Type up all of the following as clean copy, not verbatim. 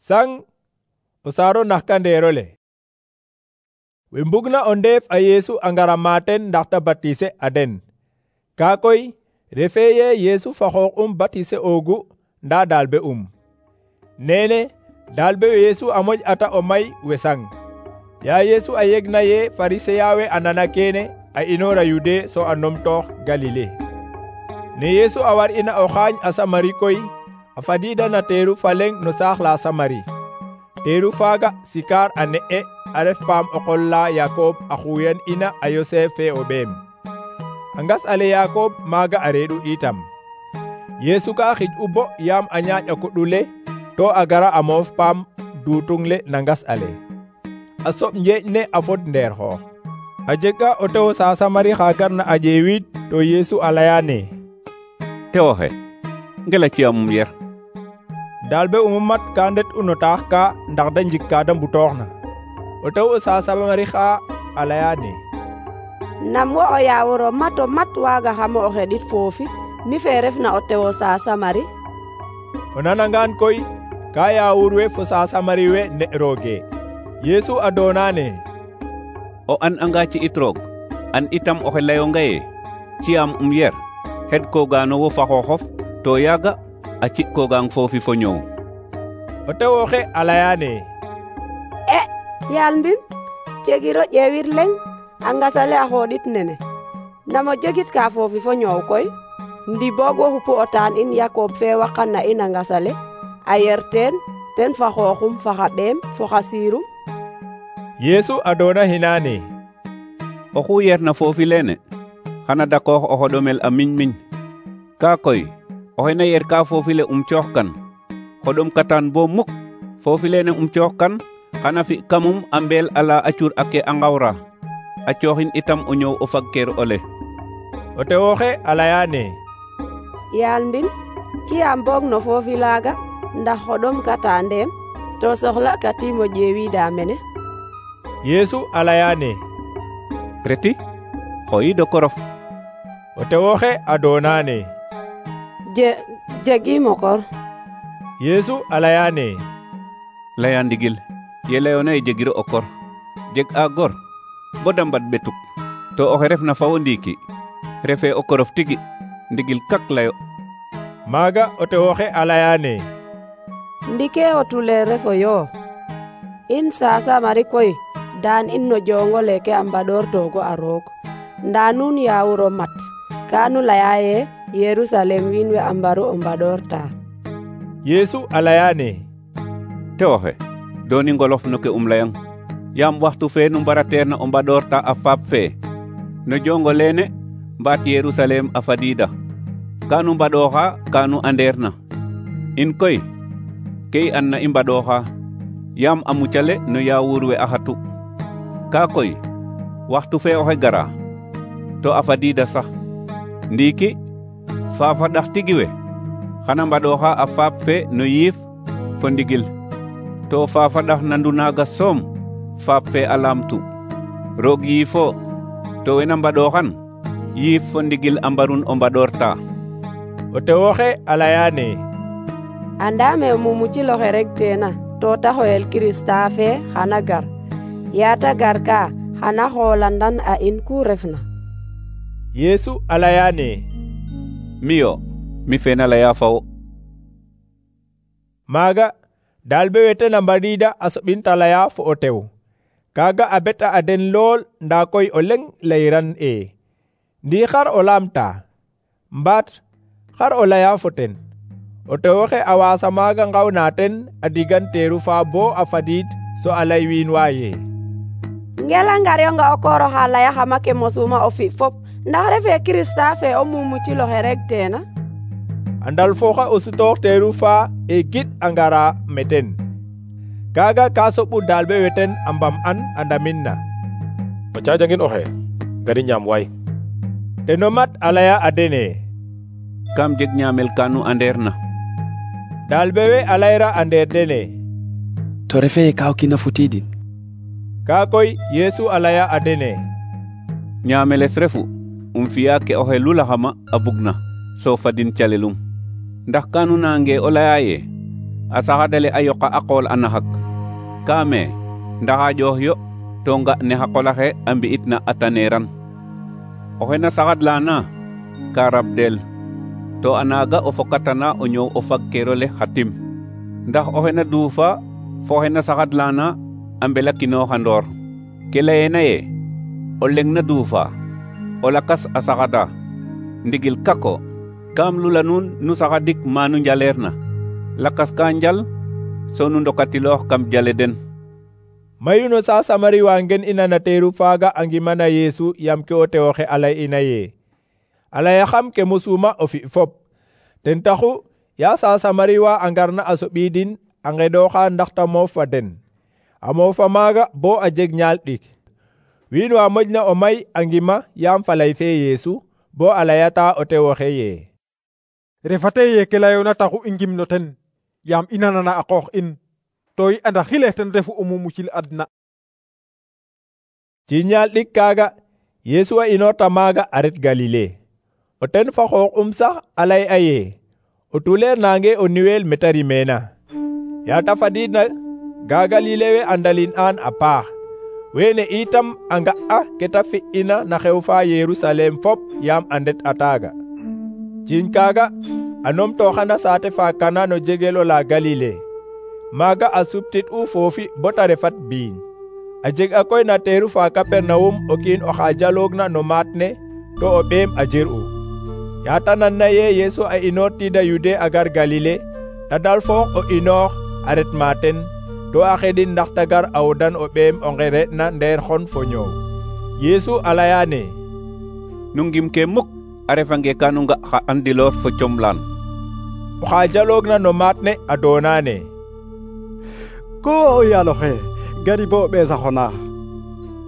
Sang o saaro naxkandeerole. We mbugna o ndeef a Yeesu a ngara maten ndax ta batise a den. Kaa koy refee ye Yeesu fa xoox batise oogu nda dalbe Nene dalbe Yeesu a moƴ ata o may we sang. Ya Yeesu a yegna ye Pariseya we a nana kene a inoora Yude so a numtoox Galile. Ne Yeesu a war ina o xaañ a Samari koy a fadiida na teeru fa leŋ no saax la Samari. Teeru faaga Sikar a ne'e a ref paam o qol la Yakob a xuyan ina a Yosef fe o ɓeem. A ngas ale Yakob maaga a reeɗu itam. Yeesu ka xij u bo yaam a ñaaƴ a kuɗule to a gara a moof paam duutung le na ngas ale. A soɓ njeeƴ ne a fod ndeer xoox. A jega o tew sa Samari xa garna a ƴeewid to Yeesu a laya ne: Tewo xe, ngela ci'amum yer. Dalbe mat ka ndet u no taax ka ndax da njik ka da mbutooxna. O tew sa Samari xa a laya ne: Nam wo o yaawur o mat waaga xamo o xeɗit foofi mi fe refna o tew sa Samari? O nanangaan koy ka yaawur we fo sa Samari we ne rooge. Yeesu a doona ne: O an anga ci'it roog, an itam oxe layonga ye ci'am yer xed koogano wo fa xooxof to yaaga a ci'koogang foofi fo ñoow. O tew oxe a laya ne: Yaal mbin, jegiro ƴeewir leŋ a ngasale a xooɗit nene. Namo jegit ka foofi fo ñoow koy, ndi boog wo xupu o taan in Yakob fe waqan na in a ngasale a yer ten fa xooxum fa xa ɓeem fo xa siirum. Yeesu a doona hinaane: Oxu yerna foofi leene xana dakoox o xoɗomel a miñ. Kaa koy oxe na yer ka foofi le cooxkan xoɗom katan bo muk foofi leene cooxkan xana fi kamum a mbeel ala a cur ake a ngawra a cooxin itam o ñoow o fagkeer ole. O tew oxe a laya ne: Yaal mbin, ci'am boog no foofi laaga ndax xoɗom kata ndeem to soxla katiim o ƴeewida mene. Yeesu a laya ne: Reti, xoyiid o korof. O tew oxe a doona ne: Jegiim o kor. Yeesu a laya ne: Laya ndigil, ye layona ye jegiro o kor. Jeg a gor bo da mbad ɓetuk to oxe refna fa wo ndiiki refe o korof tigi, ndigil kak layo. Maaga o tew oxe a laya ne: Ndike o tuleer refo yo. In sa Samari koy daan in no joongo leke a mbaɗoortoogo a roog. Ndaa nuun yaawur o mat ka nu laya ye Yerusalem wiin we a mbaru o mbaɗoorta. Yeesu a laya ne: Tew oxe, dooni ngolof no ke layang, yaam waxtu fe nu mbarateerna o mbaɗoorta a faap fe no jongo leene mbaat Yerusalem a fadiida. Ka nu mbaɗooxa ka nu andeerna. In koy ke i anna i mbaɗooxa yaam a mucale no yaawur we a xatu. Kaa koy waxtu fe oxe gara to a fadiida sax. Ndiiki faafa ɗax tigi we xana mbaɗooxa a faap fe no yiif fo ndigil to faafa ɗax nandu naaga soom faap fe a laamtu. Roog yiifo to wena mbaɗooxan yiif fo ndigil a mbarun o mbaɗoorta. O tew oxe a laya ne: Andaame o mumucil oxe regteena to ta xoyel Kirista fe xana gar. Yaata gar ka xana xoolandan a in ku refna. Yeesu a laya ne: Miyo, mi fe na laya fa wo. Maaga dalbe wete na mbadiida a soɓin ta laya fo o tew. Kaaga a beta a den lool ndaa koy o leŋ layiran Ndi xar o laamta? Mbaat xar o laya fo ten? O tew oxe a waasa maaga ngawna ten a digan teeru fa bo a fadiid so a lay wiin wa ye: Ngela ngaryonga o koor oxa layaxama ke mosuma o fi fop ndax refe Kirista fe o mumucil oxe regteena. A ndal fooxa o sutoox teeru fa gid a ngara meten. Kaaga ka soɓu dalbe weten a mbam an a ndamin na: O caajangin oxe, gari ñaam waay. Teno mat a laya a dene: Kam jeg ñaamel ka nu andeerna. Dalbe we a layra a ndeer dene: To refe ye ka o kiin a futiidin. Kaa koy Yeesu a laya a dene: Ñaameles refu fi'a ke oxe lulaxama a bugna so fadin calelum. Ndax kanu nange o laya ye a saxadale a yoqa a qool a naxak kaame ndaxa ƴoox yo to nga ne xa qolaxe a mbi'itna a taneeran. Oxe na saxadlana ka rabdel to a naaga o fokatana o ñoow o fagkeerole xa tim, ndax oxe na duufa fo oxe na saxadlana a mbelakinooxandoor. Ke layeena ye o leŋ na duufa o lakas a saxada ndigil kako kam lula nuun nu saxadik manu njaleerna, lakas ka njal so nu ndokatiloox kam jale den. Mayu no sa Samari wa ngen ina na teeru faaga a ngimana Yesu yam ke o tewoxe a lay ina ye a layaxam ke mosuma o fi fop. Ten taxu ya sa Samari wa a ngarna a soɓidin a ngeɗoxa ndax ta moof fa den. A moofa maaga bo a jeg ñaal ɗik. Wiin wa moƴna o may a ngima yaam falay fe Yesu bo a layata o tewoxe ye refate ye ke layoona taxu i ngim no ten yaam i nanana a qoox in to i anda xile ten refu o mumucil adna. Ci ñaal ɗik kaaga Yesu a inoorta maaga a ret Galile. O ten fa xoox sax a lay a ye o tuleer nange o niweel meta rimeena. Ya ta fadiidna ga Galile we a ndalin aan a paax. Weene itam a nga'a ke ta fi'ina na xew fa Yerusalem fop yaam a ndet a taaga. Ciiñ kaaga a numtooxana saate fa Kana no jegel ola Galile. Maaga a suptit'u foofi bo ta refat biiñ. A jeg a koy na teeru fa Kapernawum o kiin oxa jaloogna no maat ne to o ɓeem a jir'u. Yaata nanna ye Yesu a inoortiida Yude a gar Galile, ta dal foox o inoox a ret maaten to a xedin ndax ta gar a wodan o ɓeem o ngere'na ndeer xon fo ñoow. Yesu a layaane Nu ngim ke muk a refange ka nu nga xa andiloor fo comlaan. Oxa jaloogna no maat ne a doonaane ko o yaaloxe gari bo ɓeesaxona.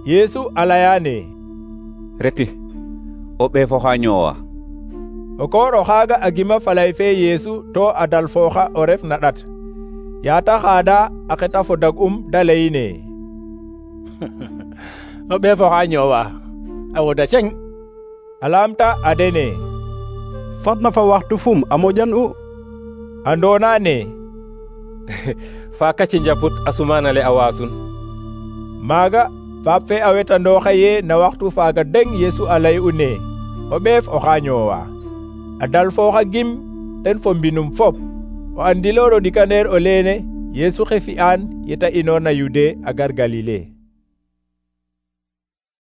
Yesu a layaane Reti o ɓeefoxa ñoowa. o koor oxaaga a gima falay fe Yesu to a dal fooxa o ref na ɗat. Yaata xaada a xeta fo dag'um da layine o ɓeefoxa ñoowa a woda ceng. a laamta a dene fadna fa waxtu fum a moƴan u. a ndoonaane fa kaci njaput a sumaanale a waasun. maaga faap fe a wetandooxa ye na waxtu faaga deng Yesu a lay'u ne o ɓeef oxa ñoowa. A dal fooxa gim ten fo mbinum fop. O andiloor o ɗikaneer o leene Yesu xe fi'aan yeta inoorna Yude a gar Galile.